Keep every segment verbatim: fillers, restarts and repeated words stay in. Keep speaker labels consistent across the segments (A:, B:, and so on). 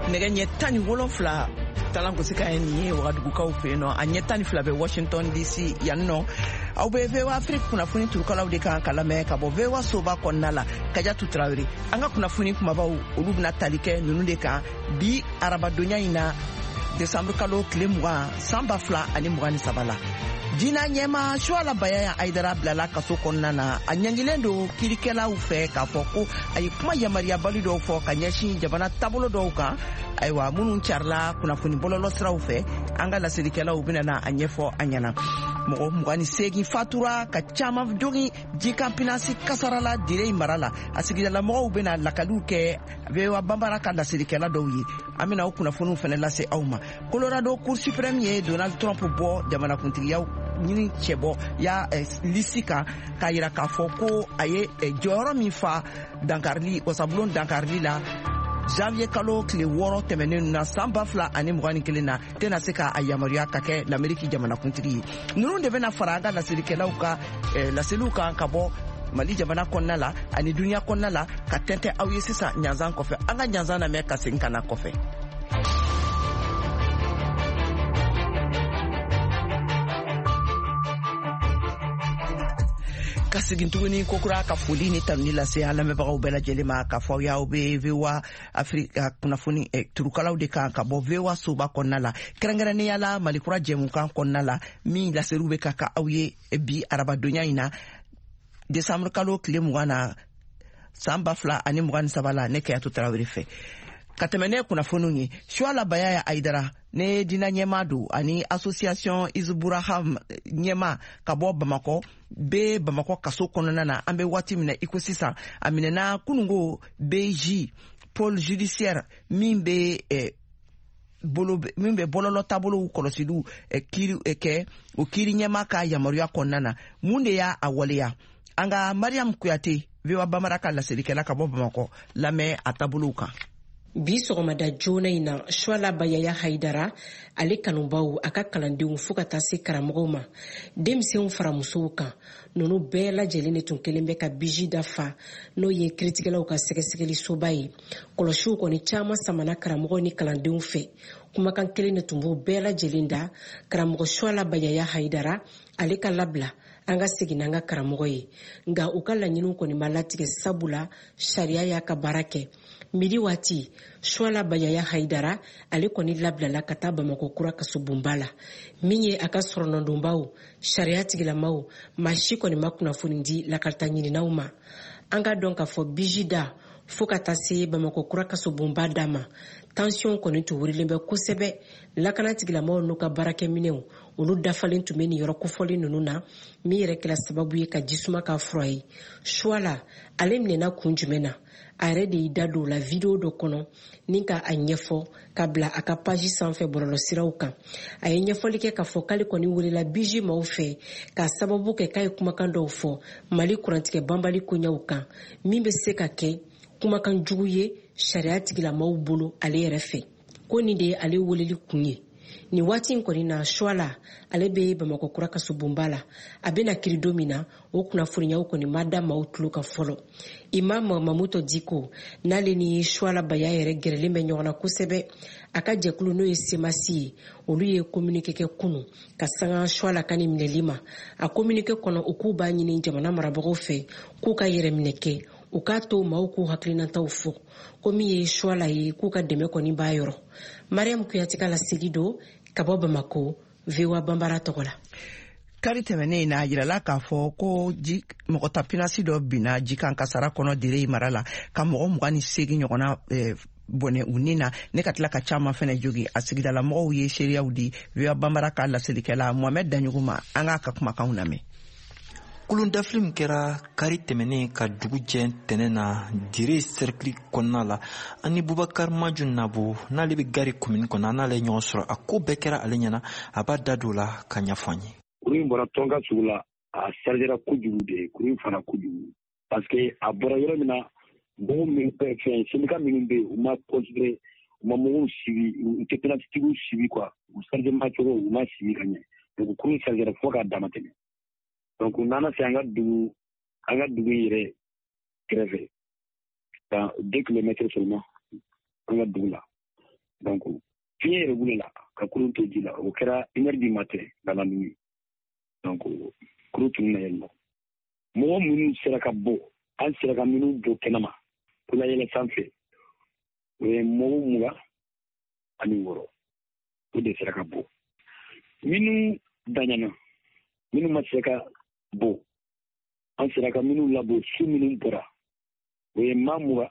A: Nɛgɛ ɲɛ tan ni wolonfila talangosi ye nin ye Wagadugukaw fɛ yen nɔ, a ɲɛ tan ni fila bɛ Washington D C yan nɔ. Aw bɛ V O A Afrique kunnafoni turukalaw de kan ka lamɛn ka bɔ V O A soba kɔnɔna la. Kajatu Tarawele, an ka kunnafoni kumabaw, olu bɛna tali kɛ ninnu de kan bi arabadonya in na, desanburu kalo tile mugan, san ba fila ani mugan ni saba la. Diina ɲɛma Suala Bayaya Ayidara bilala kaso kɔnɔna na. A ɲangilen don kiirikɛlaw fɛ k'a fɔ ko a ye kuma yamaruyabali dɔw fɔ ka ɲɛsin jamana taabolo dɔw kan, ayiwa, minnu carila kunnafoni bɔlɔlɔ siraw fɛ. An ka laselikɛlaw bɛna na a ɲɛfɔ an ɲɛna. Mɔgɔ mugan ni seegin fatura, ka caman jogin jikan pinasi kasara la Dire mara la. A sigidalamɔgɔw bɛna lakaliw kɛ V O A Banbara ka laselikɛla dɔw ye. An bɛna o kunnafoniw fɛnɛ lase aw ma. Colorado Cour suprême ye Donald Trump bɔ jamanakuntigiyaw ɲini cɛbɔ ya eh, lisi kan, k'a yira k'a fɔ ko a ye eh, jɔyɔrɔ min fa dankarili, wasabulon dankarili la janvier kalo tile wɔɔrɔ tɛmɛnen na, san ba fila ani mugan ni kelen na, tɛna se ka a yamaruya ka kɛ Lameriki jamanakuntigi ye. Ninnu de bɛna fara an ka laselikɛlaw ka eh, laseliw kan ka bɔ Mali jamana kɔnɔna la ani duniɲa kɔnɔna la, ka tɛntɛ aw ye sisan ɲanzan kɔfɛ. An ka ɲanzan lamɛn ka segin ka na kɔfɛ. Ka segin tuguni kokura ka foli ni tanuni lase an lamɛnbagaw bɛɛ lajɛlen ma, k'a fɔ aw y'aw bɛ V O A Afirika kunnafoni eh, turukalaw de kan ka bɔ V O A soba kɔnɔna la, kɛrɛnkɛrɛnnenya la Malikura jɛmukan kɔnɔna la, min laseliw bɛ ka ka aw ye bi arabadonya in na, desanburu kalo tile mugan na, san ba fila ani mugan ni saba la. Ne Kɛyatu Tarawele fɛ ka tɛmɛ ne kunnafoniw ye. Suala Bayaya Ayidara ne dina ɲɛma don ani association Isburaham ɲɛma ka bɔ Bamakɔ, be Bamakɔ kaso kɔnɔna na an bɛ waati min na i ko sisan. A minɛna kunungo B J, pôle judiciaire min bɛ eh, bolo min bɛ bɔlɔlɔ taabolow kɔlɔsiliw eh, kiiri eh, kɛ, o kiiri ɲɛma ka yamaruya kɔnɔna na. Mun de y'a a waleya? An ka Mariam Kuyate, V O A Bamara ka laselikɛla ka bɔ Bamakɔ, lamɛn a taabolow kan.
B: Bi sɔgɔmada joona in na, Suala Bayaya Hayidara, ale kanubaw, a ka kalandenw, fɔɔ ka taa se karamɔgɔw ma, denmisɛnw fara musow kan, nunu bɛɛ lajɛlen de tun kelen bɛ ka B J dafa, n'o ye kiritigɛlaw ka sɛgɛsɛgɛli soba ye. Kɔlɔsiw kɔni caaman samana karamɔgɔw ni kalandenw fɛ. Kumakan kelen de tun b'u bɛɛ lajɛlen da: karamɔgɔ Suala Bayaya Hayidara, ale ka labila, an ka segin n'an ka karamɔgɔ ye. Nka u ka laɲiniw kɔni ma latigɛ, sabu la sariya y'a ka baara kɛ. Midi waati, Suala Bayaya Hayidara, ale kɔni labilala ka taa Bamakɔ kura kasobonba la. Min ye a ka sɔrɔnɔdonbaw, sariya tigilamaw, maa si kɔni ma kunnafoni di lakalita ɲininaw ma. An ka dɔn k'a fɔ B J da fɔɔ ka taa se Bamakɔ kura kasobonba da ma, tension kɔni tun wurilen bɛ kosɛbɛ. Lakana tigilamaw n'u ka baarakɛminɛw, olu dafalen tun bɛ nin yɔrɔ kofɔlen ninnu na, min yɛrɛ kɛra sababu ye ka jisuma ka fura ye. Suala, ale minɛna kun jumɛn na? A yɛrɛ de y'i da don o la vidéo dɔ kɔnɔ ni ka a ɲɛfɔ ka bila a ka page sanfɛ bɔlɔlɔsiraw kan. A ye ɲɛfɔli kɛ k'a fɔ k'ale kɔni welela B J maaw fɛ k'a sababu kɛ k'a ye kumakan dɔw fɔ Mali kurantigɛ banbali koɲɛw kan, min bɛ se ka kɛ kumakan jugu ye sariya tigilamaw bolo. Ale yɛrɛ fɛ ko nin de ye ale weleli kun ye nin waati in kɔni na. Suala, ale bɛ Bamakɔ kura kasobonba la. A bɛna kiri don min na, o kunnafoniyaw kɔni ma da maaw tulo kan fɔlɔ. Imam Mamutɔ Diko, n'ale ni Suala Baya yɛrɛ gɛrɛlen bɛ ɲɔgɔn na kosɛbɛ, a ka jɛkulu, n'o ye Semasi ye, olu ye communiqué kɛ kunu ka sanga Suala ka nin minɛli ma. A communiqué kɔnɔ, u k'u b'a ɲini jamana marabagaw fɛ k'u ka yɛrɛminɛ kɛ, u k'a to maaw k'u hakilinataw fɔ, ko min ye Suala ye, k'u ka dɛmɛ kɔni b'a yɔrɔ. Mariam Kuyate ka laseli don ka bɔ Bamako, V O A Banbara tɔgɔ la.
A: Kari tɛmɛnen in na, a yirala k'a fɔ ko ji mɔgɔ ta pinasi dɔ binna jikan kasara kɔnɔ Dere mara la, ka mɔgɔ mugan ni seegin ɲɔgɔnna eh, bɔnɛ u ni na, ne ka tila ka caman fɛnɛ jogi. A sigidala mɔgɔw ye seereyaw di V O A Banbara ka laselikɛla Mohamɛd Daɲogo ma. An k'a ka kumakanw lamɛn.
C: Kulundafili min kɛra kari tɛmɛnen ka dugu jɛ tɛnɛ na Dire sɛrikili kɔnɔna la, ani Bubakar Maju Nabo, n'ale bɛ Gari komini kɔnɔ, an n'ale ye ɲɔgɔn sɔrɔ. A ko bɛɛ kɛra ale ɲɛna, a b'a da don o la ka ɲɛfɔ an ye.
D: Kuru in bɔra tɔnka sugu la, a chargera kojugu de. Kuru in fana kojugu, parce que a bɔra yɔrɔ min na, mɔgɔw min fɛn syndicat minnu bɛ yen, u ma considéré, u ma mɔgɔw suivi, u tɛ penalty suivi quoi. U chargement cogo, u ma suivi ka ɲɛ. Donc kuru in chargera fo k'a dama tɛmɛ. Donc u nana se an ka dugu an ka dugu in yɛrɛ kɛrɛfɛ, dans deux kilomètres seulement an ka dugu la. Donc fiɲɛ yɛrɛ wulila ka kurun to ji la, o kɛra une heure du matin dans la nuit. Donc kurun tununna yen nɔ. Mɔgɔ minnu sera ka bɔ, an sera ka minnu bɔ kɛnɛma k'u layɛlɛ sanfɛ, o ye mɔgɔ mugan ani wɔɔrɔ, o de sera ka bɔ. Minnu daɲana, minnu ma se ka bɔ, an sera ka minnu labɔ, su minnu bɔra, o ye maa mugan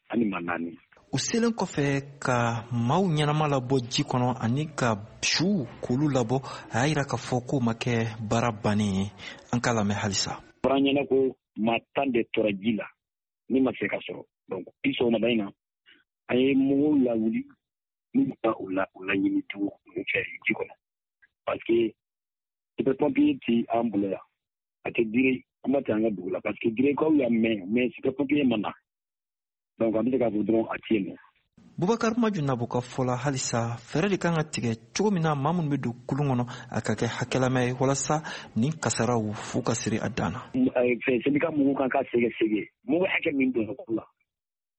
D: ani maa naani.
C: U selen kɔfɛ ka maaw ɲɛnama labɔ ji kɔnɔ ani ka su k'olu labɔ, a y'a yira k'a fɔ k'o ma kɛ baara bannen ye. An k'a lamɛn halisa.
D: Fɔra an ɲɛna ko maa tan de tora ji la min ma se ka sɔrɔ. Donc bi sɔgɔmada in na, an ye mɔgɔw lawuli min ka u la u laɲini dugu fɛ ji kɔnɔ, parce que sapeur pompier ti an bolo yan, a tɛ Dire, kuma tɛ an ka dugu la, parce que Direkaw y'a mɛn, mais sapeur pompier ma na. Donc an bɛ se k'a fɔ dɔrɔn a ti yen nɔ.
C: Bubakar Maju Nabo ka fɔ la, halisa fɛɛrɛ de kan ka tigɛ cogo min na maa minnu bɛ don kulun kɔnɔ, a ka kɛ hakɛlama ye walasa nin kasaraw f'u ka siri a dan na.
D: Fɛn syndicat mɔgɔw kan ka sɛgɛsɛgɛ mɔgɔ hakɛ min donna kulu la,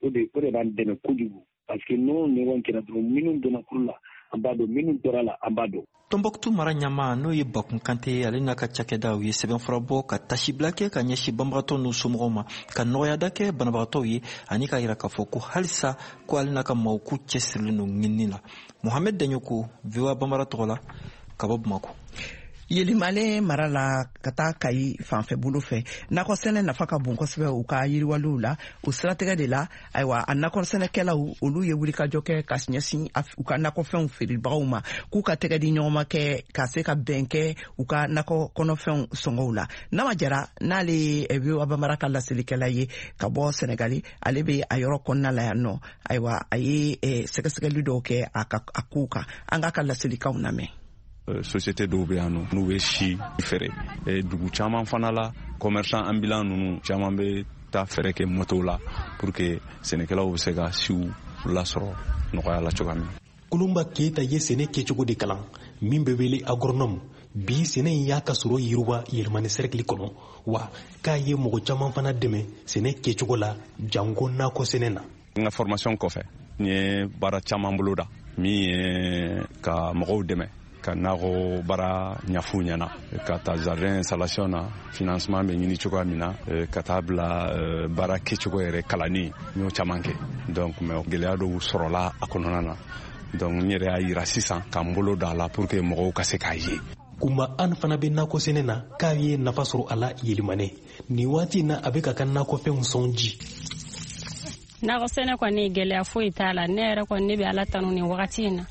D: o de o de b'an dɛmɛ kojugu, parce que n'o ɲɔgɔn kɛra dɔrɔn, minnu donna kulu la an b'a dɔn, minnu tora la an b'a dɔn.
C: Tɔnbɔkutu mara ɲama, n'o ye Bakun Kante ye, ale n'a ka cakɛda, u ye sɛbɛnfura bɔ ka tasibila kɛ ka ɲɛsin banbagatɔ n'u somɔgɔw ma, ka nɔgɔyada kɛ banabagatɔw ye, ani k'a yira k'a fɔ ko halisa ko ale n'a ka maaw k'u cɛsirilen don ɲinini la. Mohamed Daɲoko, V O A Banbara tɔgɔ la, ka bɔ Bamako.
A: Yelimale mara la ka taa Kayi fanfɛ bolo fɛ, nakɔ sɛnɛ nafa ka bon kosɛbɛ u ka yiriwaliw la. O siratigɛ de la, ayiwa, a nakɔ sɛnɛkɛlaw, olu ye wulikajɔ kɛ ka ɲɛsin u ka nakɔfɛnw feerebagaw ma, k'u ka tɛgɛ di ɲɔgɔnma kɛ ka se ka bɛn kɛ u ka nakɔ kɔnɔfɛnw sɔngɔw la. Nama Jara, n'ale ye V O A Bamara ka laselikɛla ye ka bɔ Sɛnɛgali, ale bɛ a yɔrɔ kɔnɔna la yan nɔ. Ayiwa, a ye sɛgɛsɛgɛli dɔw kɛ a ka a kow kan. An k'a ka laselikanw lamɛn.
E: Société dɔw bɛ yan nɔ, n'u bɛ si feere. Dugu caman fana la, commerçant ambulant ninnu caman bɛ taa feere kɛ moto la pour que sɛnɛkɛlaw bɛ se ka siw lasɔrɔ nɔgɔya la cogoya min.
F: Kulunba Keyita ye sɛnɛ kɛcogo de kalan min bɛ wele agronome. Bi, sɛnɛ in y'a ka sɔrɔ yiriwa Yɛlɛmani sɛrɛkili kɔnɔ, wa k'a ye mɔgɔ caman fana dɛmɛ sɛnɛ kɛcogo la, janko nakɔ sɛnɛ na.
E: N ka formation kɔfɛ, n ye baara caman bolo da min ye ka mɔgɔw dɛmɛ ka nakɔ baara ɲɛf'u ɲɛna, ka taa jardin installation na, financement bɛ ɲini cogoya min na, ka taa bila baara kɛcogo yɛrɛ kalanni, n y'o caman kɛ. Donc mais gɛlɛya dɔw sɔrɔla a kɔnɔna na. Donc n yɛrɛ y'a yira sisan ka n bolo da a la pour que mɔgɔw ka se k'a ye.
F: Kunba an fana bɛ nakɔ sɛnɛ na, k'a ye nafa sɔrɔ a la Yelimane. Nin waati in na, a bɛ ka ka nakɔfɛnw sɔn ji.
G: Nakɔ sɛnɛ kɔni, gɛlɛya foyi t'a la. Ne yɛrɛ kɔni, ne bɛ Ala tanu nin wagati in na.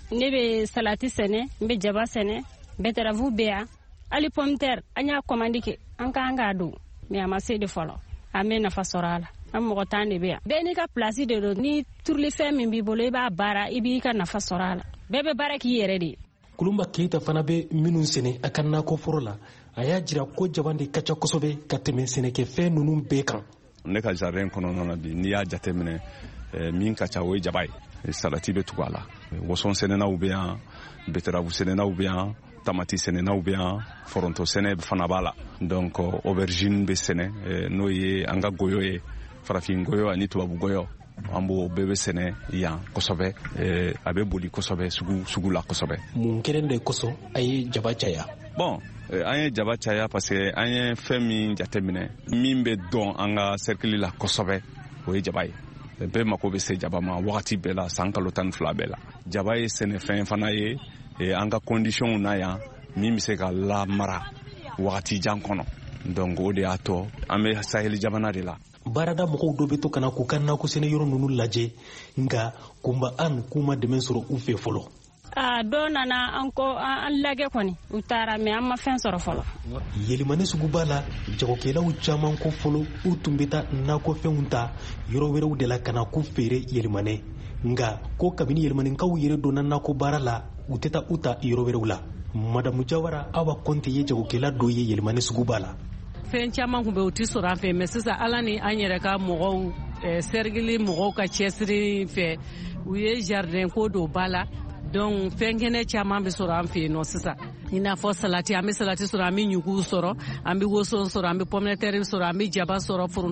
G: Ne bɛ salati sɛnɛ, n bɛ jaba sɛnɛ, betterave bɛ yan, hali pomme terre an y'a commande kɛ, an k'an k'a don, mais a ma se de fɔlɔ. An bɛ nafa sɔrɔ a la. An mɔgɔ tan de bɛ yan, bɛɛ n'i ka place de don. Ni turulifɛn min b'i bolo, i b'a baara, i b'i ka nafa sɔrɔ a la. Bɛɛ bɛ baara k'i yɛrɛ de ye.
F: Kulunba Keyita fana bɛ minnu sɛnɛ a ka nakɔforo la, a y'a jira ko jaba de ka ca kosɛbɛ ka tɛmɛ sɛnɛkɛfɛn ninnu bɛɛ kan.
E: Ne ka jardin kɔnɔna na bi, n'i y'a jateminɛ, min ka ca, o ye jaba ye. Salati bɛ tugu a la, woson sɛnɛnaw bɛ yan, betterave sɛnɛnaw bɛ yan, tamati sɛnɛnaw bɛ yan, foronto sɛnɛ fana b'a la. Donc aubergine bɛ sɛnɛ, n'o ye an ka goyo ye, farafin goyo ani tubabu goyo, an b'o bɛɛ bɛ sɛnɛ yan kosɛbɛ. A bɛ boli kosɛbɛ sugu sugu la kosɛbɛ.
F: Mun kelen de kosɔn a ye jaba caya?
E: Bon, an ye jaba caya parce que an ye fɛn min jateminɛ, min bɛ dɔn an ka cercle la kosɛbɛ, o ye jaba ye. Bɛɛ mako bɛ se jaba ma wagati bɛɛ la, san kalo tan ni fila bɛɛ la. Jaba ye sɛnɛfɛn fana ye an ka conditions na yan, min bɛ se ka lamara wagati jan kɔnɔ. Donc o de y'a to an bɛ saheli jamana de la.
F: Baarada mɔgɔw dɔ bɛ to ka na k'u ka nakɔ sɛnɛ yɔrɔ ninnu lajɛ, nka Kunba an k'u ma dɛmɛ sɔrɔ u fɛ fɔlɔ.
G: Aa, dɔw nana an kɔ, an lajɛ kɔni, u taara, mais an ma fɛn sɔrɔ fɔlɔ.
F: Yelimani suguba la, jagokɛlaw caman ko fɔlɔ, u tun bɛ taa nakɔfɛnw ta yɔrɔ wɛrɛw de la ka na k'u feere Yelimane, nka ko kabini Yelimanikaw yɛrɛ donna nakɔ baara la, u tɛ taa u ta yɔrɔ wɛrɛw la. Madamu Jawara Awa Kɔnte ye jagokɛla dɔ ye Yelimani suguba la.
H: Fɛn caman kun bɛ, u ti sɔrɔ an fɛ, mais sisan, Ala ni an yɛrɛ ka mɔgɔw, sɛrigili mɔgɔw ka cɛsiri fɛ, u ye jardin ko don ba la. Donc fɛn kɛnɛ caman bɛ sɔrɔ an fɛ yen nɔ sisan, i n'a fɔ salati. An bɛ salati sɔrɔ, an bɛ ɲugu sɔrɔ, an bɛ woson sɔrɔ, an bɛ pomme de terre sɔrɔ, an bɛ jaba sɔrɔ, foronto.